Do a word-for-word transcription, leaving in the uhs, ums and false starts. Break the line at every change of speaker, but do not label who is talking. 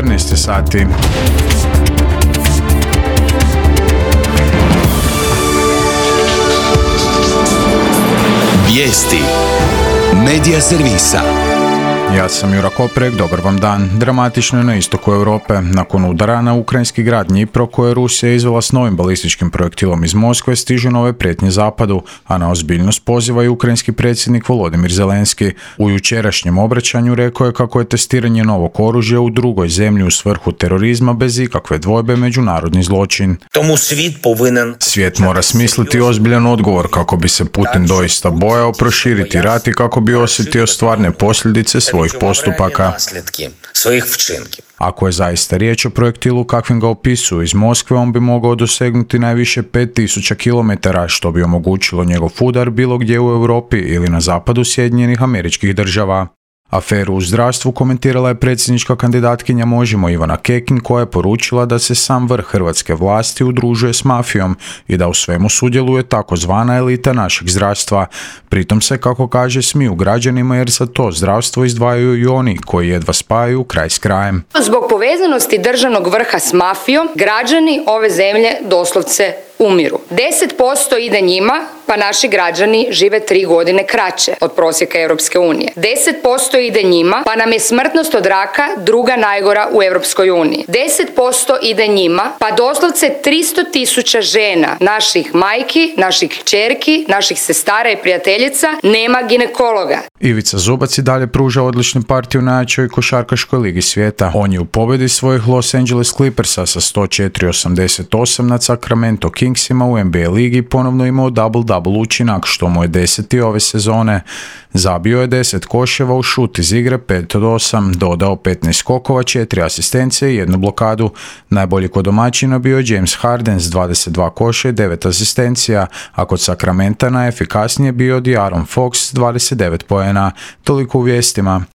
četrnaest sati.
Vijesti Medija servisa.
Ja sam Jura Koprek, dobar vam dan. Dramatično je na istoku Europe. Nakon udara na ukrajinski grad Dnipro, koje je Rusija izvela s novim balističkim projektilom iz Moskve, stižu nove prijetnje zapadu, a na ozbiljnost poziva i ukrajinski predsjednik Volodimir Zelenski. U jučerašnjem obraćanju rekao je kako je testiranje novog oružja u drugoj zemlji u svrhu terorizma bez ikakve dvojbe međunarodni zločin.
Tomu svijet povinen...
Svijet mora smisliti ozbiljan odgovor kako bi se Putin doista bojao proširiti rat i kako bi osjetio stvarne posljedice svojih postupaka. Ako je zaista riječ o projektilu kakvim ga opisuju iz Moskve, on bi mogao dosegnuti najviše pet tisuća kilometara, što bi omogućilo njegov udar bilo gdje u Europi ili na zapadu Sjedinjenih Američkih Država. Aferu u zdravstvu komentirala je predsjednička kandidatkinja Možemo Ivana Kekin, koja je poručila da se sam vrh hrvatske vlasti udružuje s mafijom i da u svemu sudjeluje takozvana elita našeg zdravstva. Pritom se, kako kaže, smiju građanima jer za to zdravstvo izdvajaju i oni koji jedva spajaju kraj s krajem.
Zbog povezanosti državnog vrha s mafijom, građani ove zemlje doslovce umiru. deset posto ide njima, pa naši građani žive tri godine kraće od prosjeka Europske unije. deset posto ide njima, pa nam je smrtnost od raka druga najgora u Europskoj uniji. deset posto ide njima, pa doslovce tristo tisuća žena, naših majki, naših kćerki, naših sestara i prijateljica, nema ginekologa.
Ivica Zubac i dalje pruža odličnu partiju u najjačoj košarkaškoj ligi svijeta. On je u pobjedi svojih Los Angeles Clippersa sa sto četiri osamdeset osam nad Sacramento Kingsima u N B A ligi ponovno imao double-double učinak, što mu je deseti ove sezone. Zabio je deset koševa u šut iz igre, pet od osam, dodao petnaest skokova, četiri asistencije i jednu blokadu. Najbolji kod domaćina bio je James Harden s dvadeset dva koša i devet asistencija, a kod Sacramenta najefikasnije bio De'Aaron Fox s dvadeset devet poena. Toliko u vijestima.